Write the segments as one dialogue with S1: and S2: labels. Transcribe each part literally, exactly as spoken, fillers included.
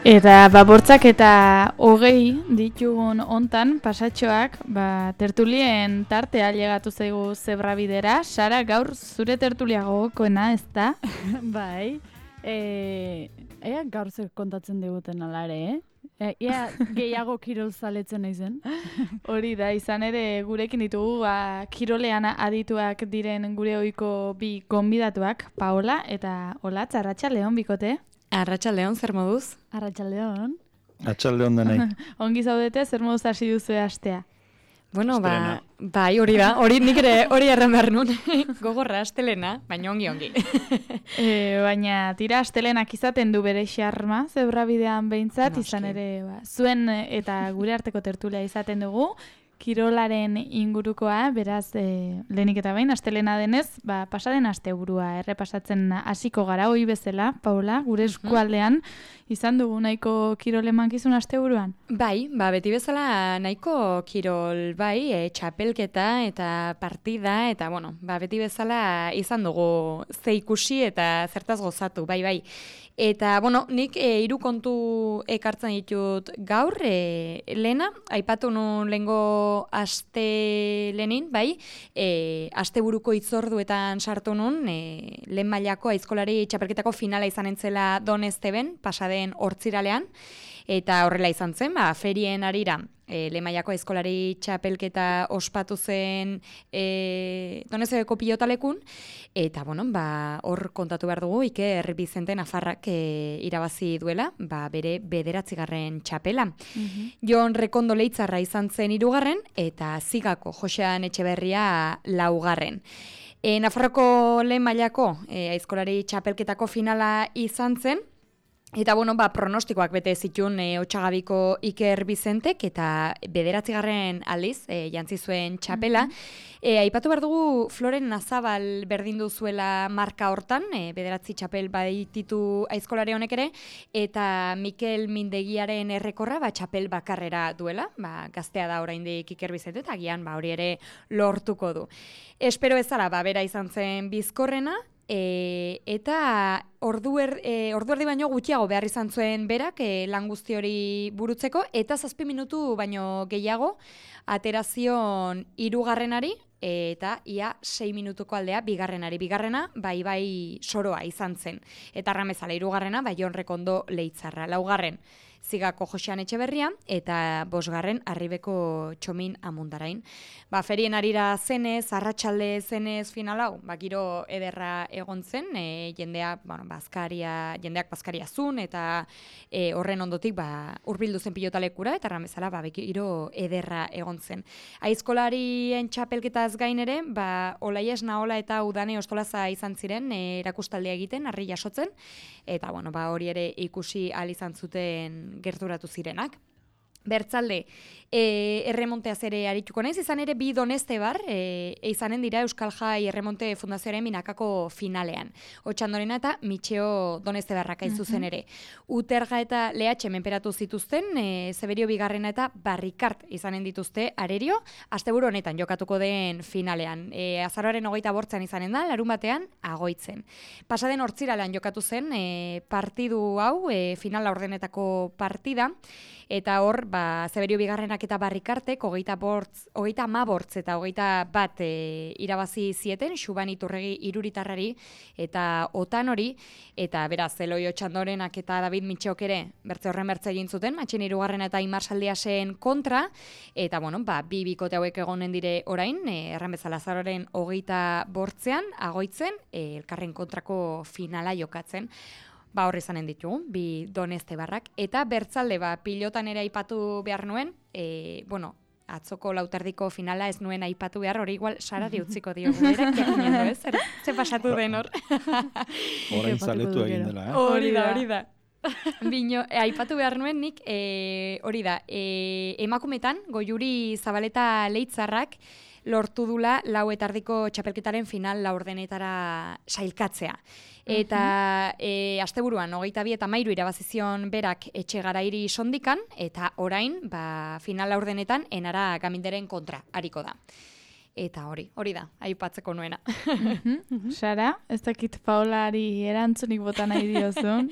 S1: Eta ba, bortzak eta hogei ditugun hontan pasatxoak, ba, tertulien tartea llegatu zaigu zebrabidera. Sara, gaur zure tertulia gogokoena, ez da?
S2: Bai, e, ea gaur zer kontatzen diguten alare, eh? E, ea gehiago kirol zaletzen naizen.
S1: Hori da, izan ere gurekin ditugu ba, kirolean adituak diren gure ohiko bi gonbidatuak, Paola eta Olatz, arratsaldeon bikote.
S3: Arratsaldeon, zer moduz?
S2: Arratsaldeon.
S4: Atxaldeon denei.
S1: Ongi zaudete, zer moduz hasi duzu astea?
S3: Bueno,
S4: Astelena.
S3: ba, bai, hori da, hori nik ere hori erran behar nun, gogorra astelena, baina ongi ongi.
S1: E, baina tira astelenak izaten du bere xarma, zebrabidean behintzat,
S3: Noski.
S1: izan ere ba, zuen eta gure arteko tertulia izaten dugu, kirolaren ingurukoa, beraz, e, lehenik eta behin, astelena denez, ba, pasaden asteburua errepasatzen hasiko gara, hoi bezala, Paula, gure eskualdean, izan dugu nahiko kirole mankizun asteburuan.
S3: Bai, ba, beti bezala nahiko kirol, bai, e, txapelketa eta partida, eta, bueno, ba, beti bezala izan dugu ze ikusi eta zertaz gozatu, bai, bai. Eta, bueno, nik e, hiru kontu ekartzen ditut gaur, e, lehena, aipatu nun lehengo aste lehenin, bai, e, asteburuko hitzorduetan sartu nun, e, lehen mailako aizkolari txapelketako finala izan entzela Donesteben, pasaden hortziralean, eta horrela izan zen, ba, ferien arira, e, lehen mailako aizkolari txapelketa ospatu zen e, Donestebeko pilotalekun, eta, bueno, ba, hor kontatu behar dugu, Iker Bizente Nafarrak e, irabazi duela, ba, bere bederatzigarren txapela. Jon Rekondo Leitzarra izan zen hirugarren, eta Zigako Josean Etxeberria laugarren. E, Nafarroko lehen mailako e, aizkolari txapelketako finala izan zen, eta, bueno, ba, pronostikoak bete zituen e, Otsagabiko Iker Bizentek eta bederatzigarren aldiz e, jantzi zuen txapela. E, aipatu behar dugu Floren Nazabal berdindu zuela marka hortan, e, bederatzi txapel baititu aizkolari honek ere, eta Mikel Mindegiaren errekorra ba, txapel bakarrera duela, ba, gaztea da oraindik Iker Bizente, eta agian ba, hori ere lortuko du. Espero ezala, ba, bera izan zen bizkorrena, E, eta ordu, er, e, ordu erdi baino gutxiago behar izan zuen berak e, lan guzti hori burutzeko, eta zazpi minutu baino gehiago aterazion hirugarrenari, eta ia sei minutuko aldea bigarrenari. Bigarrena, bai bai soroa izan zen. Eta arramezala hirugarrena, bai Jon Rekondo Leitzarra. Laugarren, Zigako Josean Etxeberria, eta bosgarren Arribeko Txomin Amundarain. Ba, ferien arira zenez, arratsalde zenez final hau, ba, giro ederra egon zen, e, jendea, bueno, bazkaria, jendeak bazkaria zun, eta e, horren ondotik ba, urbildu zen pilotalekura, eta ramezala ba, giro ederra egon zen. Aizkolarien txapelketaz gain ere, ba, Olaies Naola eta Udane Ostolaza izan ziren, e, erakustaldea egiten, harri jasotzen, eta bueno, ba, hori ere ikusi ahal izan zuten gerturatu zirenak. Bertzalde, e, erremonteaz ere arituko naiz, izan ere bi Donestebar, e, izanen dira Euskal Jai Erremonte Fundazioaren Minakako finalean. Otxandorena eta Mitxeo Donestebarrak hain zuzen ere. Uterga eta Lehatxe menperatu zituzten, e, Zeberio bigarrena eta Barrikart izanen dituzte arerio, asteburu honetan jokatuko den finalean. E, azaroaren hogeita bortzean izanen da, larun batean agoitzen. Pasaden hortziralean jokatu zen e, partidu hau, e, finala ordenetako partida, eta hor, ba, Zeberio bigarrenak eta Barrikartek, hogeita bortz, hogeita amabortz eta hogeita bat e, irabazi zieten, Xuban Iturregi iruritarrari eta otan hori, eta beraz, Eloi Otxandorenak eta David Mitxeok ere bertze horren bertze egin zuten, Matxin hirugarrena eta Imar Saldiasen kontra, eta bueno, ba, bi bikote hauek egonen dire orain, e, erran bezala azaroaren hogeita bortzean, agoitzen, e, elkarren kontrako finala jokatzen. Ba, horri zanen ditugu, bi Donestebarrak. Eta bertzalde, ba, pilotan ere aipatu behar nuen, e, bueno, atzoko lauterdiko finala ez nuen aipatu behar, hori igual Sarari utziko diogu, berak jakinendo, ez? Zer, ze pasatu den hor.
S4: Orain zaletu egin dela, eh?
S3: Hori da, hori da. Bino, e, aipatu behar nuen nik, e, hori da, e, emakumetan, Goiuri Zabaleta Leitzarrak, lortu dula lau etardiko txapelketaren final laurdenetara sailkatzea. Eta e, asteburuan, hogeita bi eta mairu irabazizion berak etxe garairi sondikan, eta orain, ba, final laurdenetan, enara gaminderen kontra, hariko da. Eta hori, hori da, aipatzeko nuena.
S1: Sara, ez dakit Paolari erantzunik bota nahi diozun.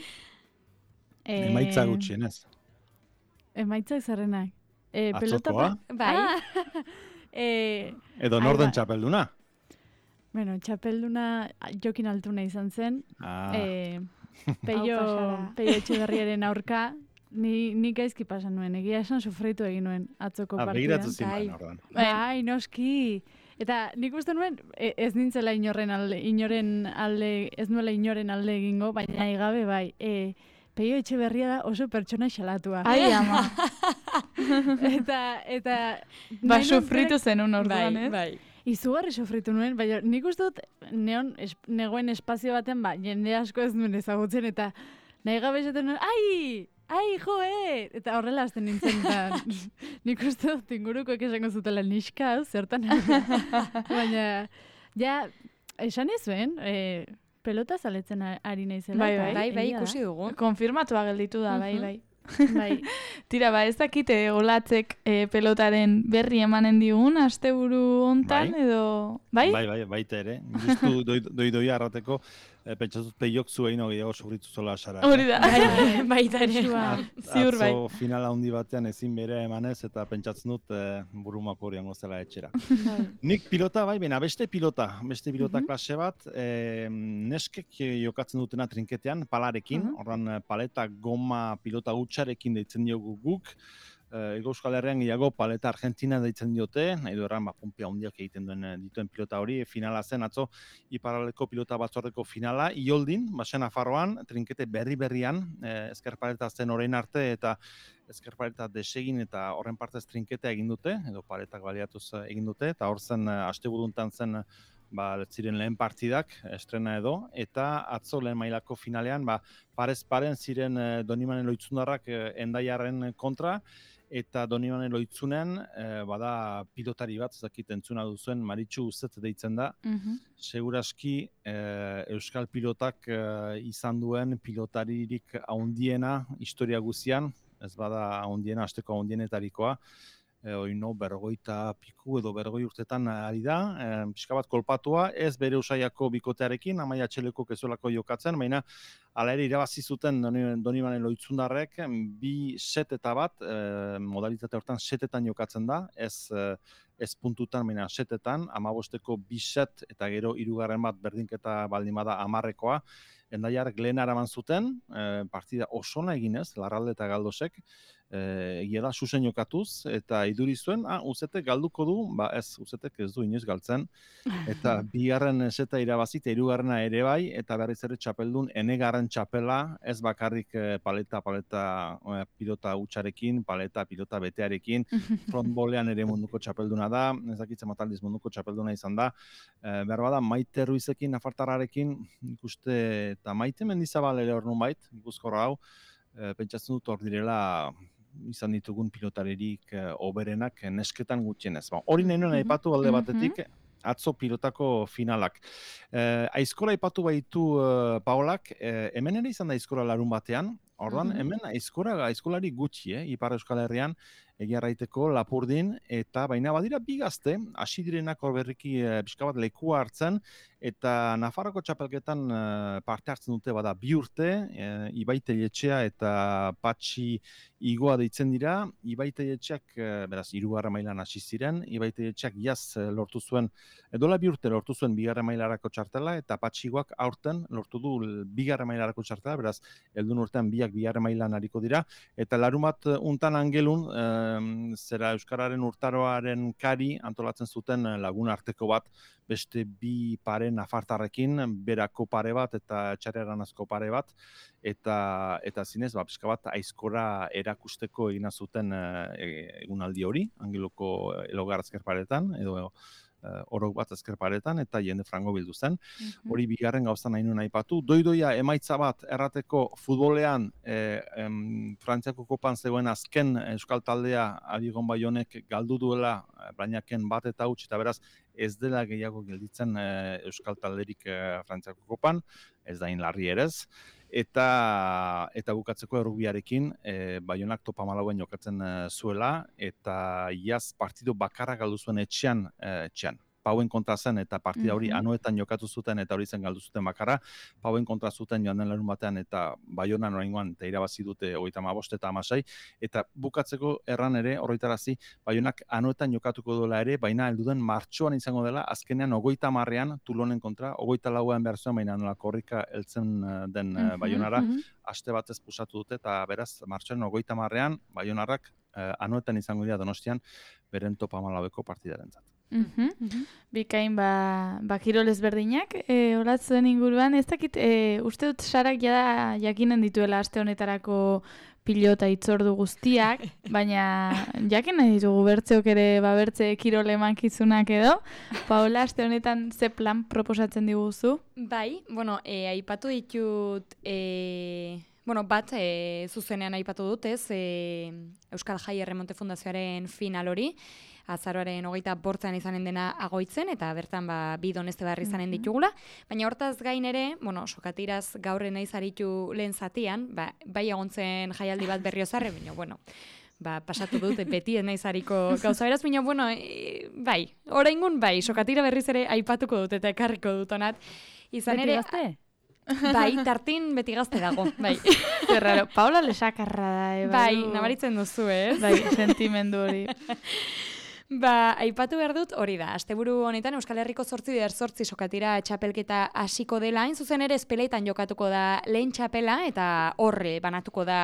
S2: E...
S4: Emaitza gutxienez.
S2: Emaitzak zerrenak. E, pelota
S4: Atzokoa?
S3: Bai.
S2: Ah, e,
S4: Edo
S2: ai,
S4: norden
S2: ba-
S4: txapelduna?
S2: Bueno, txapelduna Jokin Altuna izan zen.
S4: Ah,
S2: E, Peio,
S1: Hau pasara.
S2: Peio Etxeberriaren aurka, ni, ni gaizki pasan nuen, egia esan sufritu egin nuen atzoko
S4: ah,
S2: partidan.
S4: begiratu
S3: Bai.
S4: zinuen ordan.
S2: Bai, noski. Eta nik uste nuen, e- ez nintzela inoren alde, inoren alde, ez nuela inoren alde egingo, baina nahi gabe bai. E, Peio Etxeberria da oso pertsona xalatua.
S1: Ai, ama.
S2: eta, eta...
S1: Ba,
S2: nahi nuen
S1: sufritu zenun orduan,
S3: Bai,
S1: ez?
S3: bai.
S2: Izugarri sofritu nuen, baina nik uste dut neon, es, negoen espazio baten, ba, jende asko ez nuen ezagutzen, eta nahi gabe esaten nuen, ai, ai, joe! Eta horrela hasten nintzen, eta nik uste dut ingurukoek esango zutela niska, hau, zertan. Baina, ja, esan ezuen, e, pelota zaletzen a- ari naizela.
S1: Bai,
S2: eta
S1: bai.
S3: Bai, bai,
S2: egia da.
S3: ikusi dugu.
S1: Konfirmatua gelditu da, bai,
S3: Mhm.
S1: bai.
S2: Bai,
S1: Tira, ba, ez dakite olatzek e, pelotaren berri emanen digun, asteburu hontan,
S4: Bai.
S1: edo... Bai?
S4: Bai, bai, baita ere. Justu doi, doi doia arrateko, e, pentsatuz peiok zuein gehiago sufritu zola sara.
S1: Hori da.
S2: bai,
S3: Baita ere.
S2: Kasua.
S1: Ziur bai.
S4: Atzo final handi batean ezin bere emanez eta pentsatzen dut e, burumako horian gozela etxera.
S2: bai.
S4: Nik pilota bai, bena beste pilota, beste pilota klase bat, e, neskek jokatzen dutena trinketean, palarekin, ordan e, paleta goma pilota hutsarekin deitzen diogu guk, e, Ego Euskal Herrian gehiago paleta Argentina deitzen diote, nahi du erran, ba, punpia handiak egiten duen e, dituen pilota hori, finala zen, atzo, iparraldeko pilota batzordeko finala, Ioldin, basen Nafarroan, trinkete berri-berrian, e, ezker paleta zen orain arte, eta ezker paleta desegin eta horren partez trinketea egin dute, edo paletak baliatuz egin dute, eta hor zen, e, asteburuntan zen, ba, ziren lehen partidak, estrena edo, eta atzo lehen mailako finalean, ba, parez paren ziren e, Donimanen Loitzundarrak e, Endaiarren kontra, eta Donimanen Loitzunen, e, bada pilotari bat, ez dakit entzuna duzuen, Maritxu Uzet deitzen da,
S1: Mhm.
S4: seguraski e, Euskal pilotak e, izan duen pilotaririk haundiena historia guzian, ez bada haundiena, asteko haundienetarikoa, e, oino berrogeita piku edo berrogei urtetan ari da, e, pixka bat kolpatua, ez bere usaiako bikotearekin, Amaia Txeleko kezuelako jokatzen, baina hala ere irabazi zuten Doni- Donimanen Loitzundarrek, bi set eta bat, e, modalitate hortan setetan jokatzen da, ez e, ez puntutan, baina setetan, amabosteko bi set eta gero hirugarren bat berdinketa baldin bada hamarrekoa, Endaiarrek lehen araman zuten, e, partida osona eginez, Larralde eta Galdosek, e, egia da, susen jokatuz, eta iduri zuen, ah, Uzetek galduko du, ba ez, Uzetek ez du inoiz galtzen, eta bigarren seta irabazi, eta hirugarrena ere bai, eta berriz ere txapeldun, enegarren txapela, ez bakarrik e, paleta, paleta, e, pilota hutsarekin, paleta, pilota betearekin, frontbolean ere munduko txapelduna da, ez dakitzen mataldiz munduko txapelduna izan da, e, behar bada Maite Ruizekin, Nafartarrarekin, ikuste, eta Maite Mendizabal ere hor nunbait, ikuskorra hau, e, pentsatzen dut hor direla izan ditugun pilotaririk e, oberenak e, nesketan gutxienez. Ba, hori nahi nuen aipatu alde batetik, atzo pilotako finalak. E, aizkola aipatu baitu e, Paolak, e, hemen ere izan da aizkola larun batean, orduan hemen aizkora, aizkolari gutxi, eh, Ipar Euskal Herrian, egia raiteko Lapurdin, eta baina badira bi gazte, hasi direnak hor berriki e, pixka bat lekua hartzen, eta Nafarroko txapelketan e, parte hartzen dute bada bi urte, e, Ibai Teietxea eta Patxi Igoa deitzen dira, Ibai Teietxeak, e, beraz, hirugarren mailan hasi ziren, Ibai Teietxeak jaz e, lortu zuen, edola bi urte lortu zuen bigarren mailarako txartela, eta Patxi Igoak aurten lortu du bigarren mailarako txartela, beraz, helduen urtean biak bigarren mailan ariko dira, eta larumat untan angelun, e, zera Euskararen urtaroaren kari antolatzen zuten lagun arteko bat, beste bi pare nafartarrekin, berako pare bat eta txarreranazko pare bat, eta eta zinez, ba, pixka bat aizkora erakusteko egina zuten e, egunaldi hori, Angeloko Elogar azkerparetan, edo Uh, orok bat ezkerparetan, eta jende frango bildu zen. Hori bigarren gauza nahi nuen aipatu. Doidoia emaitza bat errateko futbolean eh, em, Frantziako kopan zegoen azken euskal taldea Abigon Baionek galdu duela Brainaken bat eta huts, eta beraz ez dela gehiago gelditzen eh, euskal talderik eh, Frantziako kopan, ez da inlarri erez. Eta eta bukatzeko errugbiarekin e, Baionak topa malauen jokatzen e, zuela, eta iaz partido bakarra galdu zuen etxean, e, etxean. Pauen kontra zen eta partida hori
S1: Mhm.
S4: Anoetan jokatu zuten eta hori zen galdu zuten bakarra. Pauen kontra zuten joan den larun batean eta Baionan oraingoan eta irabazi dute hogeita hamabost eta hamasei eta bukatzeko erran ere horretarazi Baionak Anoetan jokatuko duela ere, baina helduden martxoan izango dela azkenean hogeita hamarrean Tulonen kontra, hogeita lauan behar zuen, baina nola korrika heltzen eh, den eh,
S1: Mhm,
S4: Baionara,
S1: mhm.
S4: aste batez pusatu dute eta beraz martxoaren hogeita hamarrean Baionarrak eh, Anoetan izango dira Donostian beren top hamalaueko partidarentzat.
S1: Mhm. Bikain ba, ba kirol ezberdinak, e, olatzuen inguruan, ez dakit, e, uste dut Sarak jada jakinen dituela aste honetarako pilota itzordu guztiak, baina jakin nahi ditugu bertzeok ere, ba bertze kirol emankizunak edo. Paola, aste honetan ze plan proposatzen diguzu?
S3: Bai, bueno, e, aipatu ditut, e, bueno, bat e, zuzenean aipatu dut, ez, e, Euskal Jai Erremonte Fundazioaren final hori, azaroaren hogeita bortzean izanen dena agoitzen, eta bertan ba, bi doneste barri izanen ditugula. Baina hortaz gain ere, bueno, sokatiraz gaur naiz aritu lehen zatian, ba, bai egontzen jaialdi bat berriozarre, baina, bueno, ba, pasatu dut, beti ez naiz hariko gauza beraz, baina, bueno, e, bai, oraingun bai, sokatira berriz ere aipatuko dut eta ekarriko dut onat. Izan
S2: Beti
S3: ere,
S2: gazte?
S3: bai, tartin beti gazte dago, bai.
S1: Zerraro, Paola lesakarra da, e,
S3: Bai,
S1: badu-
S3: nabaritzen duzu, ez?
S1: Bai, sentimendu hori.
S3: Ba, aipatu behar dut hori da. Asteburu honetan Euskal Herriko zortzi der zortzi sokatira txapelketa hasiko dela. Hain zuzen ere espeletan jokatuko da lehen txapela eta horre banatuko da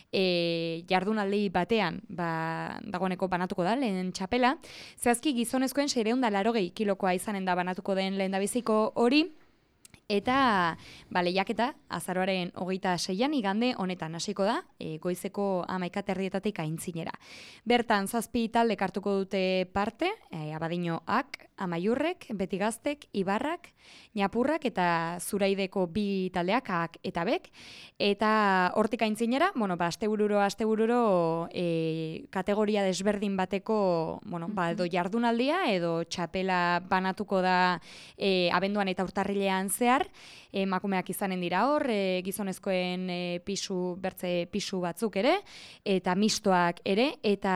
S3: e, jardunaldi batean ba, dagoeneko banatuko da lehen txapela. Zehazki gizonezkoen seiehun eta laurogei kilokoa izanen da banatuko den lehendabiziko hori. Eta ba, lehiaketa azaroaren hogeita seian igande honetan hasiko da, e, goizeko hamaika terdietatik aintzinera. Bertan zazpi talde hartuko dute parte, e, Abadinoak, Amaiurrek, Betigaztek, Ibarrak, Ñapurrak eta Zuraideko bi taldeak ak eta bek. Eta hortik aintzinera, bueno, ba, astebururo, astebururo e, kategoria desberdin bateko, bueno, ba, edo jardunaldia edo txapela banatuko da e, abenduan eta urtarrilean zehar, emakumeak izanen dira hor, e, gizonezkoen e, pisu, bertze pisu batzuk ere, eta mistoak ere, eta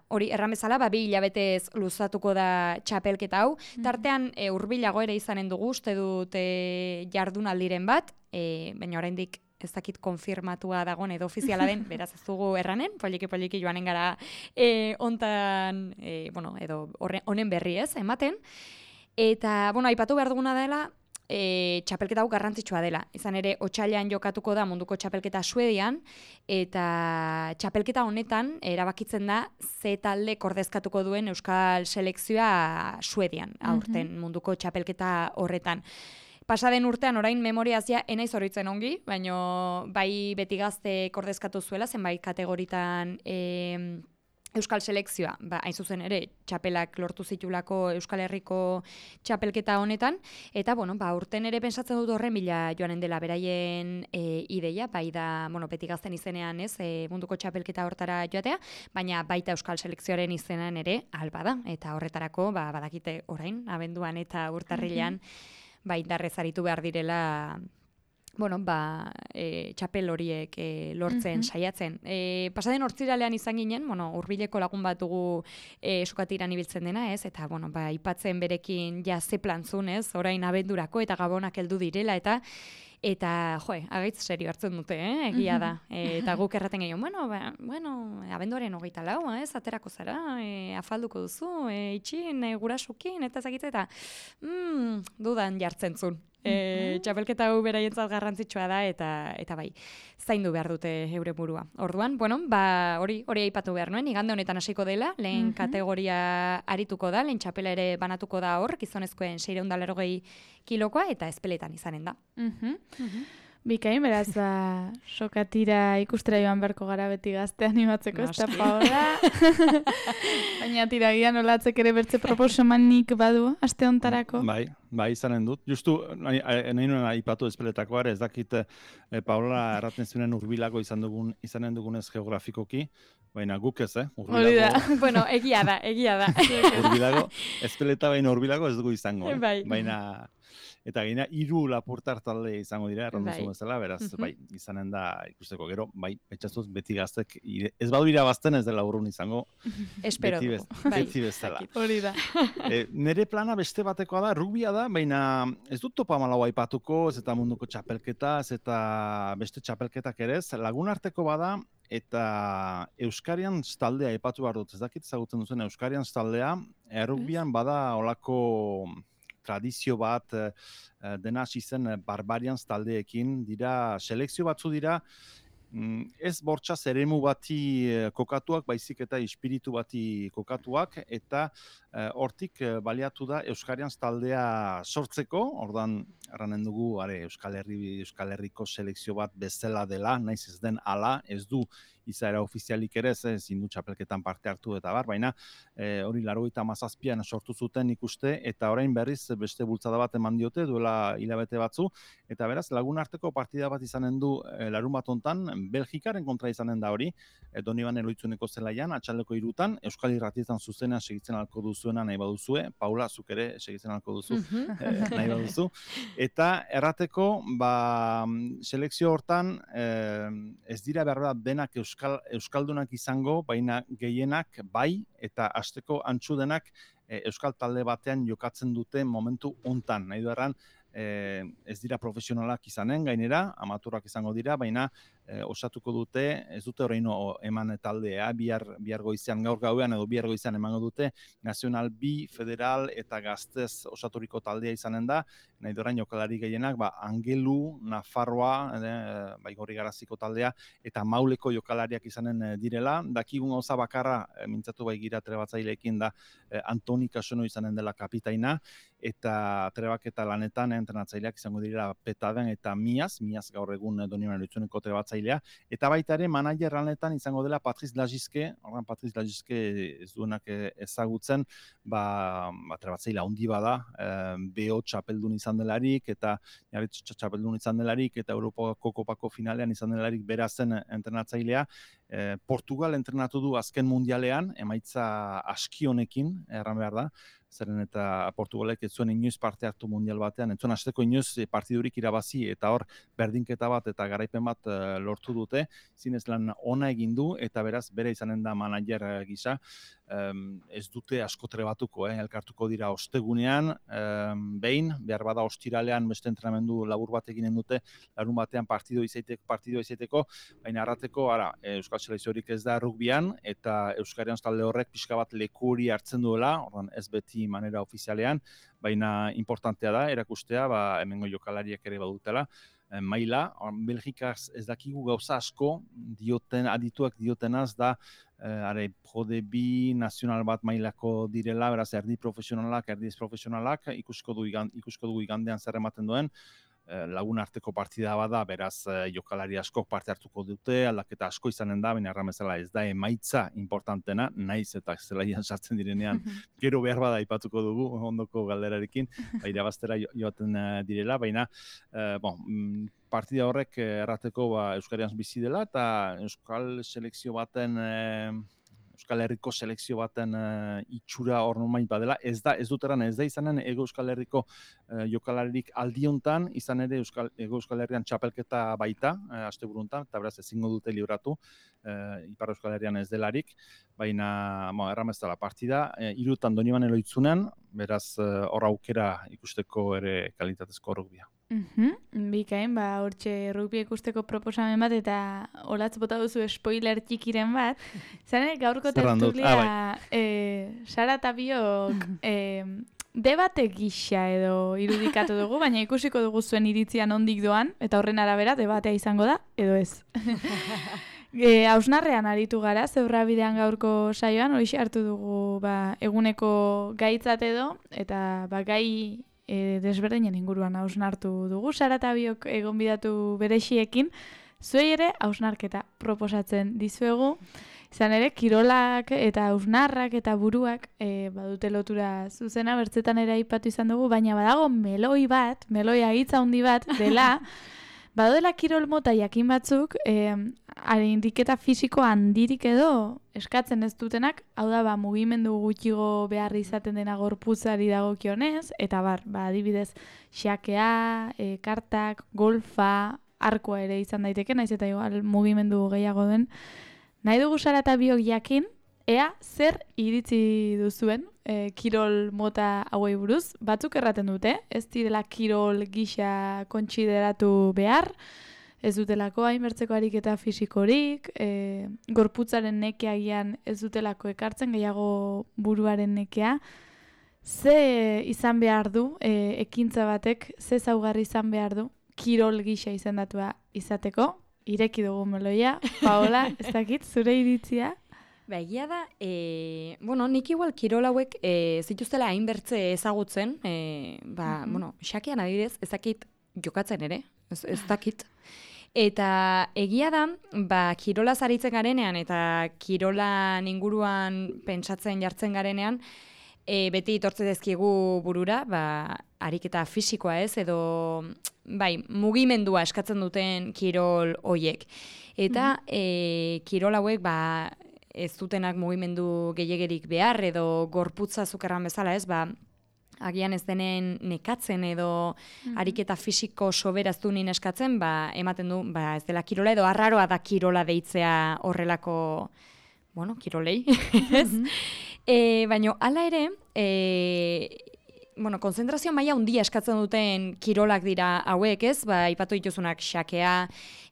S3: hori erramezala, ba, bi hilabetez luzatuko da txapelketa hau. Tartean e, hurbilago ere izanen dugu, uste dut e, jardunaldiren bat, e, baina oraindik ez dakit konfirmatua dagoen edo ofiziala den, beraz ez dugu erranen, poliki-poliki joanen gara e, ontan, e, bueno, edo horre, honen berri ez, ematen. Eta, bueno, aipatu behar duguna dela, E, txapelketa hau garrantzitsua dela. Izan ere, otsailean jokatuko da munduko txapelketa Suedian, eta txapelketa honetan erabakitzen da ze talde ordezkatuko duen Euskal Selekzioa Suedian, aurten munduko txapelketa horretan. Pasaden urtean orain memoriaz ja enaiz horitzen ongi, baino bai Betigazte ordezkatu zuela, zenbait kategoritan e, Euskal Selekzioa, ba, hain zuzen ere, txapelak lortu zitulako Euskal Herriko txapelketa honetan, eta, bueno, ba, urten ere pensatzen dut horren bila joanen dela beraien e, ideia, bai da, bueno, Betigazten izenean ez, e, munduko txapelketa hortara joatea, baina baita Euskal Selekzioaren izenean ere alba da, eta horretarako, ba, badakite orain, abenduan eta urtarrilean, ba, indarrez aritu behar direla, bueno, ba, e, txapel horiek e, lortzen,
S1: Mhm.
S3: saiatzen. E, pasaden hortziralean izan ginen, bueno, hurbileko lagun bat dugu e, sokatiran ibiltzen dena, ez? Eta, bueno, ba, ipatzen berekin ja ze plantzun, ez? Orain abendurako eta gabonak heldu direla, eta Eta, joe, agaitz serio hartzen dute, eh? Egia da. E, eta guk erraten gehiago, bueno, ba, bueno, abenduaren hogeita lau, ez? Aterako zara, e, afalduko duzu, e, itxin, e, gurasukin, eta ezagitze, eta mm, dudan jartzen zuen. E, txapelketa hau beraientzat garrantzitsua da, eta eta bai, zaindu behar dute eure burua. Orduan, bueno, ba, hori hori aipatu behar nuen, igande honetan hasiko dela, lehen kategoria arituko da, lehen txapela ere banatuko da hor, gizonezkoen seiehun eta laurogei kilokoa, eta espeletan izanen da.
S1: Mhm. Bikain, beraz, ba, sokatira ikustera joan beharko gara beti gazte animatzeko, ez da
S3: Noski.
S1: Paola. Baina tiragian olatzek ere bertze proposamanik badu, aste hontarako.
S4: Bai, bai izanen dut. Justu, nahi, nahi nuen aipatu espeletakoa ere, ez dakit eh, Paola erraten zuenen hurbilago izan dugun, izanen dugunez geografikoki, baina guk ez, eh?
S1: Hori da.
S3: Bueno, egia da, egia da.
S4: Hurbilago, espeleta baina hurbilago ez dugu izango, eh?
S3: Bai.
S4: Baina Eta gaina hiru lapurtar talde izango dira, errandu
S3: Bai.
S4: zuen bezala, beraz,
S3: Mhm.
S4: bai, izanen da ikusteko gero, bai, pentsatuz beti gaztek, ire- ez badu irabazten ez dela urrun izango,
S3: Espero
S4: beti,
S3: dugu.
S4: bez,
S3: Bai.
S4: beti bezala.
S1: Hori da.
S4: E, nere plana beste batekoa da, rugbia da, baina ez dut topa malau aipatuko, ez eta munduko txapelketa, ez eta beste txapelketak ere ez, lagun arteko bada, eta Euskarian taldea aipatu behar dut, ez dakit ezagutzen duzen Euskarian taldea, errugbian bada olako tradizio bat, eh, dena hasi zen Barbarians taldeekin, dira, selekzio batzu dira, mm, ez bortxaz eremu bati eh, kokatuak, baizik eta espiritu bati kokatuak, eta eh, hortik eh, baliatu da Euskarian taldea sortzeko, ordan erranen dugu, are, Euskal Herri, Euskal Herriko selekzio bat bezala dela, naiz ez den ala, ez du izaera ofizialik ere, ez ezin du txapelketan parte hartu eta bar, baina e, hori laurogeita hamazazpian sortu zuten ikuste, eta orain berriz beste bultzada bat eman diote, duela hilabete batzu, eta beraz, lagun arteko partida bat izanen du e, larun bat hontan, Belgikaren kontra izanen da hori, e, Donibane Loitzuneko zelaian, atxaldeko hirutan, Euskal Irratietan zuzenean segitzen alko duzuena nahi baduzue, Paula, zuk ere segitzen alko duzu,
S3: Mhm.
S4: e, nahi baduzu, eta errateko, ba, selekzio hortan, e, ez dira behar da denak Euskal Euskal, Euskaldunak izango, baina gehienak bai, eta hasteko antzu denak e, Euskal talde batean jokatzen dute momentu hontan. Nahi du erran, e, ez dira profesionalak izanen, gainera, amaturak izango dira, baina e, osatuko dute, ez dute horreino eman taldea, bihar, bihar goizean, gaur gauean edo bihar goizean emango dute, Nazional B, Federal eta Gaztez osaturiko taldea izanen da, nahi dorain jokalari gehienak, ba, Angelu, Nafarroa, e, Baigorri Garaziko taldea, eta Mauleko jokalariak izanen direla. Dakigun gauza bakarra, e, mintzatu baigira trebatzaileekin da, e, Antoni Kasono izanen dela kapitaina, eta trebaketa lanetan e, entrenatzaileak izango direla Petaden eta Miaz, Miaz gaur egun e, Donibane Loitzuneko trebatzailea, eta baita ere manager lanetan izango dela Patriz Lagizke, horren Patriz Lagizke ez duenak ezagutzen, ba, ba trebatzaile handi bada, e, B O txapeldun izan delarik, eta Jarritz txapeldun izan delarik, eta Europako kopako finalean izan delarik berazen entrenatzailea. E, Portugal entrenatu du azken mundialean, emaitza aski honekin, erran behar da, zeren eta Portugalek ez zuen inoiz parte hartu mundial batean, ez zuen hasteko inoiz partidurik irabazi, eta hor berdinketa bat eta garaipen bat e, lortu dute, zinez lan ona egin du, eta beraz bere izanen da manager gisa, Um, ez dute asko trebatuko, eh? Elkartuko dira ostegunean, um, behin, behar bada ostiralean beste entrenamendu labur bat eginen dute, larun batean partido izaiteko, partido izaiteko, baina arrateko, ara, Euskal Selekziorik ez da rugbian, eta Euskarian talde horrek pixka bat leku hori hartzen duela, ordan ez beti manera ofizialean, baina importantea da, erakustea, ba, hemengo jokalariak ere badutela, maila, Belgikaz ez dakigu gauza asko, dioten, adituak diotenaz da, eh, are, Prodebi nazional bat mailako direla, beraz, erdi profesionalak, erdi ez profesionalak, ikusko du igan, ikusko dugu igandean zer ematen duen, lagun arteko partida bada, beraz jokalari askok parte hartuko dute, aldaketa asko izanen da, baina erramezela ez da emaitza importantena, naiz eta zelaian sartzen direnean, gero behar bada aipatuko dugu, ondoko galderarekin, ba, irabaztera joaten direla, baina eh, bon, partida horrek errateko ba, Euskarian bizi dela, eta Euskal selekzio baten eh, Euskal Herriko selekzio baten uh, itxura hor normait badela, ez da, ez dut eran, ez da izanen Ego Euskal Herriko uh, jokalaririk aldiontan, izan ere Euskal, Ego Euskal Herrian txapelketa baita, uh, asteburuntan, eta beraz ezingo dute libratu, uh, Ipar Euskal Herrian ez delarik, baina, bo, erramez dela partida, uh, irutan Donibane Loitzunen, beraz hor uh, aukera ikusteko ere kalitatezko rugbia.
S1: Mm-hmm. Bikain, ba, hortxe rugby ikusteko proposamen bat, eta olatz bota duzu spoiler txikiren bat. Zane, gaurko tertulia, ah, bai. e, Sara eta Biok e, debate gisa edo irudikatu dugu, baina ikusiko dugu zuen iritzian ondik doan, eta horren arabera debatea izango da, edo ez. E, Hausnarrean aritu gara, zeurra bidean gaurko saioan, hori hartu dugu ba, eguneko gaitzat edo, eta ba, gai E, desberdinen inguruan hausnartu dugu, Sara eta Biok egonbidatu berexiekin, zuei ere hausnarketa proposatzen dizuegu, izan ere kirolak eta hausnarrak eta buruak e, badute lotura zuzena, bertzetan ere aipatu izan dugu, baina badago meloi bat, meloi agitza handi bat dela, badela kirol mota jakin batzuk, e, ariketa fisiko handirik edo eskatzen ez dutenak, hau da, ba, mugimendu gutxigo behar izaten dena gorputzari dagokionez, eta bar, ba, adibidez, xakea, e, kartak, golfa, arkoa ere izan daiteke, naiz eta igual mugimendu gehiago den. Nahi dugu Sara eta biok jakin, ea zer iritzi duzuen e, kirol mota hauei buruz. Batzuk erraten dute, ez direla kirol gisa kontsideratu behar, ez dutelako hainbertzeko ariketa fisikorik, e, gorputzaren nekeagian ez dutelako ekartzen, gehiago buruaren nekea. Ze izan behar du, e, ekintza batek, ze zaugarri izan behar du, kirol gisa izendatua izateko? Ireki dugu meloia, Paola, ez dakit, zure iritzia?
S3: Ba, egia da, e, bueno, nik igual kirol hauek e, zituztela hainbertze ezagutzen, e, ba, mm-hmm. bueno, xakean adibidez, ez dakit jokatzen ere, ez, ez dakit. Eta egia da, ba, kirolaz aritzen garenean eta kirolan inguruan pentsatzen jartzen garenean, e, beti itortze dezkigu burura, ba, ariketa fisikoa ez, edo bai, mugimendua eskatzen duten kirol hoiek. Eta mm-hmm. e, kirol hauek, ba, ez dutenak mugimendu gehiagerik behar, edo gorputza zukerran bezala ez, ba, agian ez denen nekatzen edo mm-hmm. ariketa fisiko soberaztu nien eskatzen, ba, ematen du, ba, ez dela kirola edo arraroa da kirola deitzea horrelako, bueno, kirolei, ez? Mm-hmm. E, baina, hala ere, e, bueno, konzentrazio maila handia eskatzen duten kirolak dira hauek, ez? Ba, ipatu dituzunak xakea,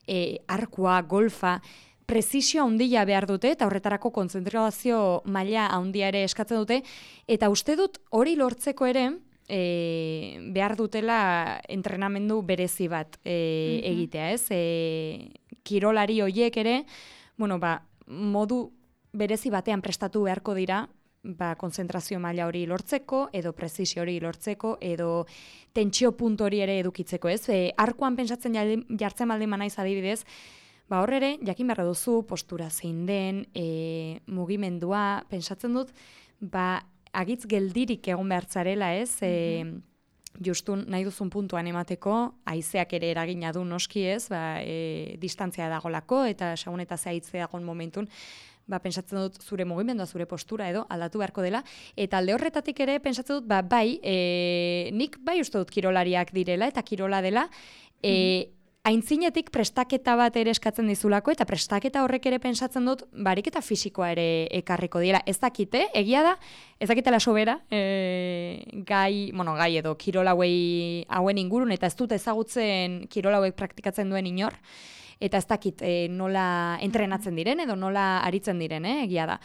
S3: e, arkua, golfa, prezisio handia behar dute, eta horretarako konzentrazio maila handia ere eskatzen dute, eta uste dut hori lortzeko ere e, behar dutela entrenamendu berezi bat e, mm-hmm. egitea, ez? E, kirolari horiek ere, bueno, ba, modu berezi batean prestatu beharko dira, ba, konzentrazio maila hori lortzeko, edo prezisio hori lortzeko, edo tentsio puntu hori ere edukitzeko, ez? E, arkuan pentsatzen jartzen baldin manaiz adibidez, ba hor ere, jakin beharra duzu, postura zein den, e, mugimendua, pentsatzen dut, ba, agitz geldirik egon behartzarela, ez? E, justun nahi duzun puntuan emateko, haizeak ere eragina du noski ez, ba, e, distantzia dagolako, eta segun eta zehaitze dagoen momentun, ba, pentsatzen dut zure mugimendua, zure postura edo aldatu beharko dela, eta alde horretatik ere pentsatzen dut, ba, bai, e, nik bai uste dut kirolariak direla, eta kirola dela, e, aintzinetik prestaketa bat ere eskatzen dizulako, eta prestaketa horrek ere pentsatzen dut, bariketa fisikoa ere ekarriko dira. Ez dakite, egia da, ez dakitela sobera, e, gai, bueno, gai edo kirola hauei hauen ingurun, eta ez dut ezagutzen kirola hauek praktikatzen duen inor, eta ez dakit e, nola entrenatzen diren, edo nola aritzen diren, eh, egia da.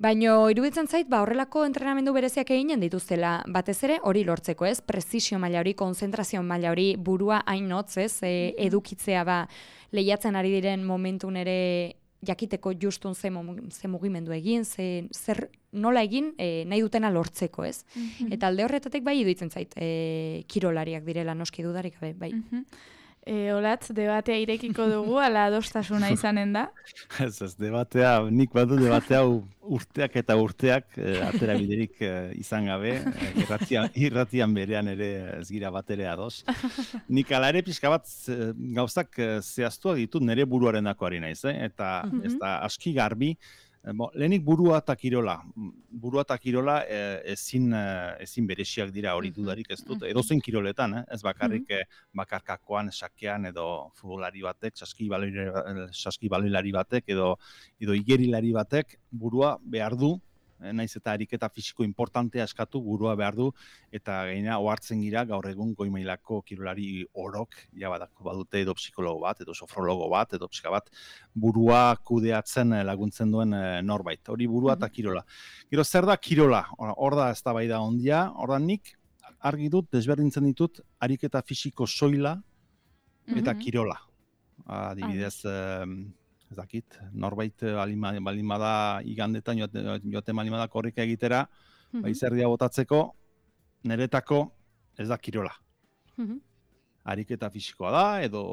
S3: Baina iruditzen zait, ba, horrelako entrenamendu bereziak eginen dituztela, batez ere hori lortzeko, ez? Prezisio maila hori, konzentrazio maila hori, burua hain hotz, ez? E, edukitzea, ba, lehiatzen ari diren momentun ere jakiteko justun ze, ze mugimendu egin, ze, zer nola egin e, nahi dutena lortzeko, ez? Mm-hmm. Eta alde horretatik bai iruditzen zait, e, kirolariak direla noski dudarik gabe, bai.
S1: Mm-hmm. E, olatz, debatea irekiko dugu, ala adostasuna izanen da?
S4: Ez, ez, debatea, nik badu debatea urteak eta urteak e, atera biderik e, izan gabe, e, irratian, irratian berean ere ez gira bat ere ados. Nik ala ere pixka bat e, gauzak e, zehaztuak ditut nire buruaren dakoari naiz, eh? Eta mm-hmm. ez da aski garbi, Bo, lehenik burua eta kirola. Burua eta kirola e, ezin, ezin bereziak dira hori dudarik ez dut. Edozein kiroletan, eh? Ez bakarrik eh, bakarkakoan, sakean edo futbolari batek, saski baloilari batek edo, edo igerilari batek burua behar du, naiz eta ariketa fisiko importantea eskatu burua behar du, eta gaina ohartzen gira gaur egun goi mailako kirolari orok ja badako badute edo psikologo bat, edo sofrologo bat, edo psika bat burua kudeatzen laguntzen duen norbait. Hori burua eta kirola. Gero zer da kirola? Hor da eztabaida handia, hor da nik argi dut, desberdintzen ditut ariketa fisiko soila eta kirola. Adibidez, ez dakit, norbait balin bada igandetan joaten balin bada korrika egitera, mm-hmm. izerdia botatzeko, niretako ez da kirola. Mm-hmm. Ariketa fisikoa da, edo,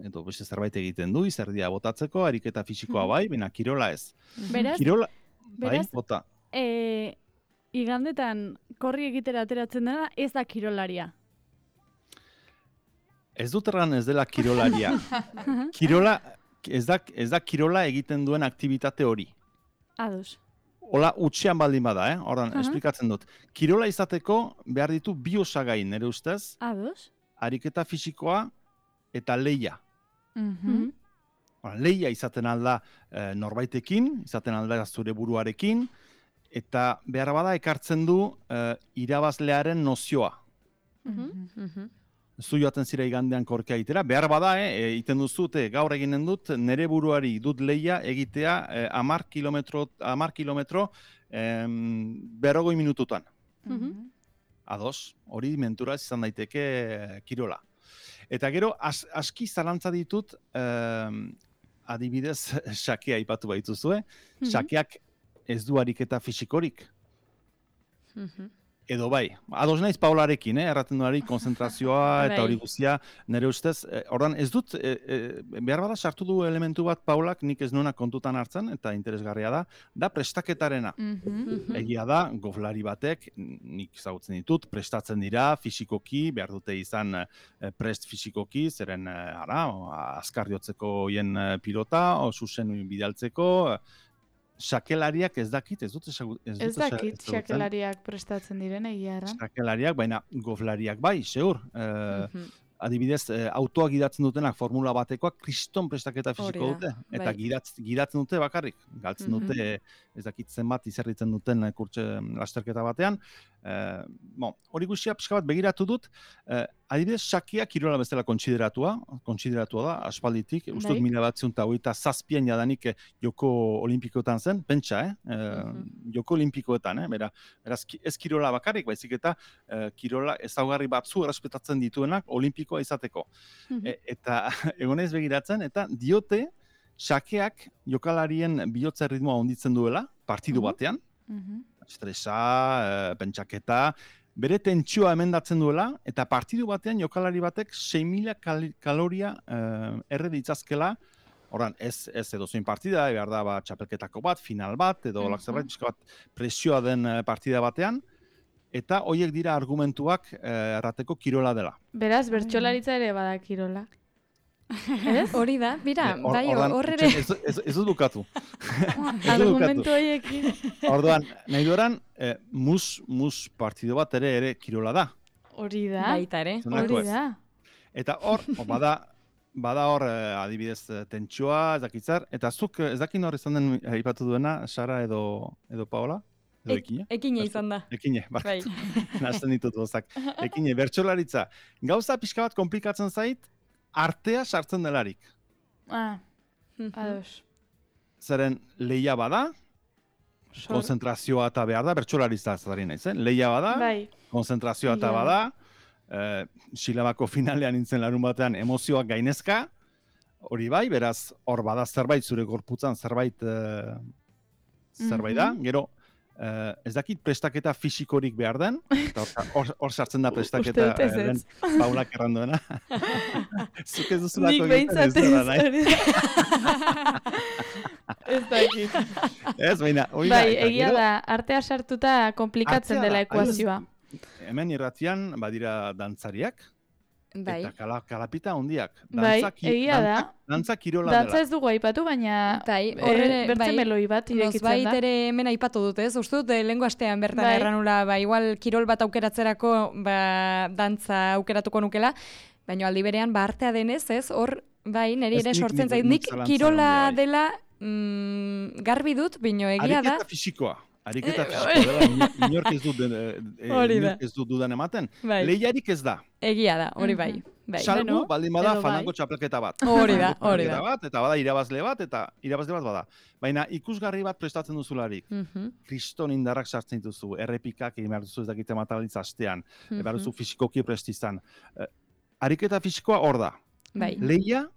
S4: edo beste zerbait egiten du, izerdia botatzeko, ariketa fisikoa bai, baina kirola ez.
S2: Beraz,
S4: kirola,
S2: beraz
S4: bai, bota.
S2: E, igandetan korri egitera ateratzen dena, ez da kirolaria.
S4: Ez dut erran ez dela kirolaria. Kirola, ez da, ez da kirola egiten duen aktivitate hori.
S2: Ados.
S4: Hola, utxean baldin bada, eh? Horran,
S2: Aha.
S4: esplikatzen dut. Kirola izateko behar ditu bi osagai, nire ustez,
S2: Ados.
S4: ariketa fisikoa eta leia.
S1: Mhm.
S4: Ora, leia izaten alda e, norbaitekin, izaten alda zure buruarekin, eta behar bada ekartzen du e, irabazlearen nozioa.
S3: Mhm. Mhm.
S4: Zu joaten zira igandean korkea egitera, behar bada, eh, egiten duzute, gaur eginen dut, nere buruari dut leia egitea eh, amar kilometro, amar kilometro em, berrogoi minututan.
S1: Mhm.
S4: Ados, hori menturaz izan daiteke eh, kirola. Eta gero, as, aski zalantza ditut, em, adibidez, sakea aipatu baituzue,
S2: Mhm.
S4: sakeak ez du ariketa fisikorik.
S3: Mhm.
S4: Edo bai, ados naiz Paularekin, eh? Erraten duari konzentrazioa eta
S3: Bai.
S4: hori guztia, nire ustez, eh, ordan ez dut, eh, eh, behar bada sartu du elementu bat Paulak nik ez nuena kontutan hartzen, eta interesgarria da, da prestaketarena.
S1: Mhm.
S4: Egia da, goflari batek, nik ezagutzen ditut, prestatzen dira, fisikoki, behar dute izan eh, prest fisikoki, zeren, eh, ara, azkar jotzeko hien eh, pilota, o zuzen bidaltzeko, eh, sakelariak ez dakit, ez dut ezagut- ez
S1: Ez
S4: dut eza-
S1: dakit
S4: ezagutzen.
S1: xakelariak prestatzen diren egia erran.
S4: Sakelariak, baina goflariak bai, seur. Eh,
S3: Mhm.
S4: adibidez, eh, autoa gidatzen dutenak formula batekoak kriston prestaketa fisiko
S3: Hori da,
S4: dute. Eta
S3: bai.
S4: gidatz, gidatzen dute bakarrik. Galtzen
S3: Mhm.
S4: dute, eh, ez dakit zenbat izerritzen duten eh, kurtse lasterketa batean. Eh, bon, hori guztia pixka bat begiratu dut. Eh, adibidez, sakia kirola bezala kontsideratua, kontsideratua da, aspalditik. Uste dut
S1: Bai.
S4: mila batziehun eta hogeita zazpian jadanik eh, joko olimpikoetan zen, pentsa, eh? Eh,
S3: Mhm.
S4: joko olimpikoetan, eh? Bera, beraz, ki- ez kirola bakarrik, baizik eta eh, kirola ezaugarri batzu errespetatzen dituenak olimpikoa izateko.
S2: Mhm.
S4: E, eta egonez begiratzen, eta diote sakeak jokalarien bihotza ritmoa onditzen duela, partidu
S2: Mhm.
S4: batean,
S1: Mhm.
S4: estresa, eh, pentsaketa, bere tentsioa emendatzen duela, eta partidu batean jokalari batek sei mila kal kaloria eh, erre ditzazkela, Horan, ez, ez edozein partida, behar da ba, txapelketako bat, final bat, edo
S1: Mhm.
S4: olak zerbait, pixka bat presioa den eh, partida batean, eta hoiek dira argumentuak eh, errateko kirola dela.
S1: Beraz, bertsolaritza ere bada kirola. Ez?
S3: Hori da, bira,
S4: Eh, hor-
S3: bai,
S4: ordan,
S3: hor ere.
S4: Ez, ez, ez dut bukatu. Ez dut
S1: Argumentu horiekin.
S4: Orduan, nahi dueran, eh, mus, mus partido bat ere ere kirola da.
S1: Hori da.
S3: Baita ere.
S4: Zelako
S1: Hori
S4: ez.
S1: da.
S4: Eta hor, o, bada, bada hor, eh, adibidez, eh, tentsioa, ez dakitzar, eta zuk eh, ez dakin hor izan den eh, aipatu duena, Sara edo, edo Paola? Edo
S3: Ek-
S4: Ekine?
S3: Ekina izan da.
S4: Ekine,
S3: Bai.
S4: barkatu. Nazten ditut bozak. Ekine, bertsolaritza. Gauza pixka bat komplikatzen zait, artea sartzen delarik.
S1: Ah,
S3: Mhm.
S1: ados.
S4: Zeren leia bada,
S1: Sor-
S4: konzentrazioa eta behar da, bertsolaritza zari naiz, eh? Leia bada,
S1: Bai.
S4: konzentrazioa eta
S1: Ia.
S4: bada, eh, silabako finalean nintzen larun batean emozioak gainezka, hori bai, beraz, hor bada zerbait, zure gorputzan zerbait, eh, zerbait da,
S1: Mhm.
S4: gero, eh, ez dakit prestaketa fisikorik behar den, eta hor- hor hor sartzen da prestaketa
S1: Uste dut ez
S4: eh, lehen
S1: ez.
S4: Paulak erranduena. Zuk ez duzulako
S1: Nik
S4: egiten, ez
S1: behintzat ez.
S4: dela nahi.
S1: hori da. Ez dakit.
S4: Ez, baina, hori da,
S1: Bai,
S4: eta
S1: egia
S4: gero-
S1: da, artea sartuta konplikatzen
S4: Artea
S1: dela
S4: da,
S1: ekuazioa.
S4: Hemen irratian badira dantzariak,
S3: Bai.
S4: eta kala, kalapita handiak.
S1: Bai,
S4: Dantza ki-
S1: egia da.
S4: dantza- Dantza kirola
S1: Dantza
S4: dela.
S1: ez dugu aipatu, baina
S3: Bai,
S1: eh,
S3: hor ere,
S1: bertze
S3: bai,
S1: meloi bat irekitzen
S3: Nozbait
S1: da.
S3: ere hemen aipatu dut, ez? Uste dut, eh, lehengo astean bertan
S1: Bai.
S3: erranula, ba, igual kirol bat aukeratzerako, ba, dantza aukeratuko nukela, baina aldi berean, ba, artea denez, ez? Hor, bai, niri
S4: Ez
S3: ere
S4: nik-
S3: sortzen
S4: nik-
S3: zait,
S4: nik
S3: nik
S4: zalantzan
S3: kirola
S4: handia, bai.
S3: dela mm, garbi dut, bino egia da.
S4: Ariketa fisikoa. Ariketa
S3: Eh,
S4: fisikoa dela, ino- inork ez dut, eh, eh,
S3: Hori da.
S4: inork ez dut dudan ematen.
S3: Bai.
S4: Lehiarik ez da.
S3: Egia da, hori bai.
S1: Mhm.
S3: bai.
S4: Salbu,
S2: bueno,
S4: baldin bada
S2: edo bai.
S4: fanango txapelketa bat.
S3: Hori da,
S4: Fanango
S3: hori
S4: txapelketa
S3: da.
S4: bat, eta bada irabazle bat, eta irabazle bat bada. Baina ikusgarri bat prestatzen duzularik.
S3: Mhm,
S4: Kriston indarrak sartzen dituzu, errepikak egin behar duzu ez dakite matalitza astean,
S3: mhm.
S4: behar duzu fisikoki prest izan. Eh, ariketa fisikoa hor da.
S3: Bai,
S4: Leia,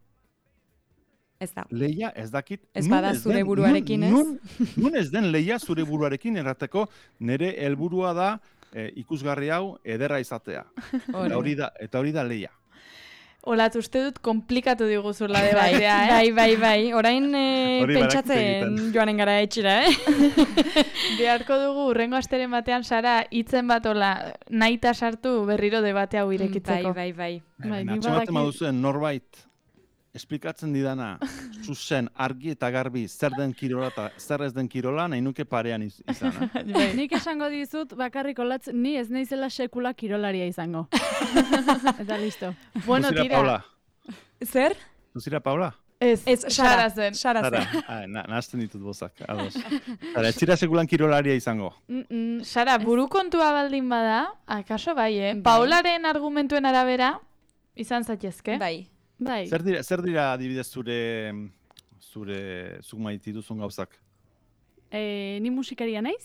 S3: ez da.
S4: leia ez dakit.
S3: Ez
S4: nun
S3: bada zure
S4: den-
S3: buruarekin, ez?
S4: nun, nun ez den leia zure buruarekin errateko nire helburua da eh, ikusgarri hau ederra izatea.
S3: Hori
S4: Eta hori da, eta hori da leia.
S1: Olat, uste dut komplikatu diguzula
S3: Bai,
S1: debatea, eh?
S3: bai, bai, bai. Orain eh,
S4: Hori badakit
S3: pentsatzen
S4: egiten.
S3: joanen gara etxira, eh?
S1: Beharko dugu urrengo asteren batean Sara hitzen bat ola nahita sartu berriro debate hau irekitzeko.
S3: Bai, bai, bai.
S2: Bai,
S4: Baina
S2: nik
S4: atxematen
S2: badakit-
S4: baduzuen norbait esplikatzen didana, zuzen, argi eta garbi, zer den kirola eta zer ez den kirola, nahi nuke parean iz, izan. Eh?
S2: Nik esango dizut, bakarrik olatz, ni ez naizela sekula kirolaria izango. Eta listo.
S1: Bueno,
S4: Zuzira,
S1: tira.
S4: Paula.
S3: Zer?
S4: Zuzira, Paula?
S1: Ez,
S3: Ez,
S1: Sara
S3: Sara
S1: zen.
S3: Sara
S4: Zara,
S3: zen.
S4: ah, na, nahazten ditut bozak, ados. Zara, ez zira sekulan kirolaria izango.
S2: Mm -mm.
S1: Sara, buru kontua baldin bada, akaso bai, eh?
S3: Bai.
S1: Paularen argumentuen arabera, izan zaitezke.
S3: Bai.
S2: Bai.
S4: Zer dira, zer dira adibidez zure, zure, zuk maite dituzun gauzak?
S2: E, ni musikaria naiz?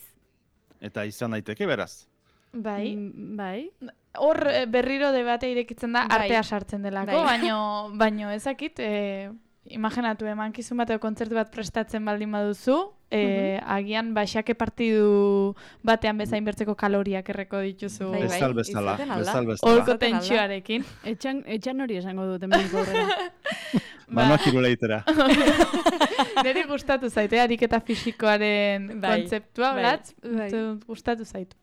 S4: Eta izan daiteke, beraz.
S1: Bai.
S2: Mm, bai.
S1: Hor eh, berriro debatea irekitzen da,
S3: Bai.
S1: artea sartzen delako,
S3: Bai.
S1: baino, baino ezakit, eh, imaginatu, emankizun bat edo kontzertu bat prestatzen baldin baduzu, eh, agian baxake partidu batean bezain bertzeko kaloriak erreko dituzu.
S3: Bai, bai.
S4: Bezal bezala,
S3: izaten alda.
S4: bezal bezala.
S1: Holko
S3: Izaten alda.
S1: tentsioarekin.
S2: Etxan, etxan hori esango dut hemendik aurrera.
S4: Manoa kirola itera.
S1: Neri gustatu zaite, ariketa fisikoaren
S3: Bai,
S1: kontzeptua,
S3: bai,
S1: blatz,
S2: bai.
S1: uste dut gustatu zaitu.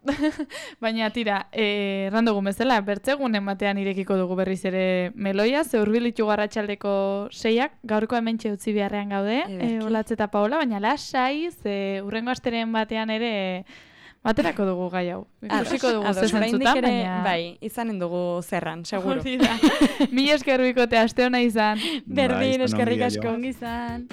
S1: Baina tira, eh, errandugun bezala, bertzegunen batean irekiko dugu berriz ere meloia, ze hurbilitu garratxaldeko seiak, gaurko hementxe utzi beharrean gaude,
S3: Ederki.
S1: eh, Olatz eta Paola, baina lasai, ze hurrengo asteren batean ere baterako dugu gai hau. Ikusiko dugu
S3: Ados,
S1: ze
S3: oraindik
S1: zentzutan,
S3: ere,
S1: baina...
S3: bai, izanen dugu zerran, seguro.
S1: Hori da. Mila esker bikote, aste hona izan.
S3: Berdin,
S4: Bai, izan
S3: eskerrik
S4: ongi,
S3: asko.
S2: Ongi izan.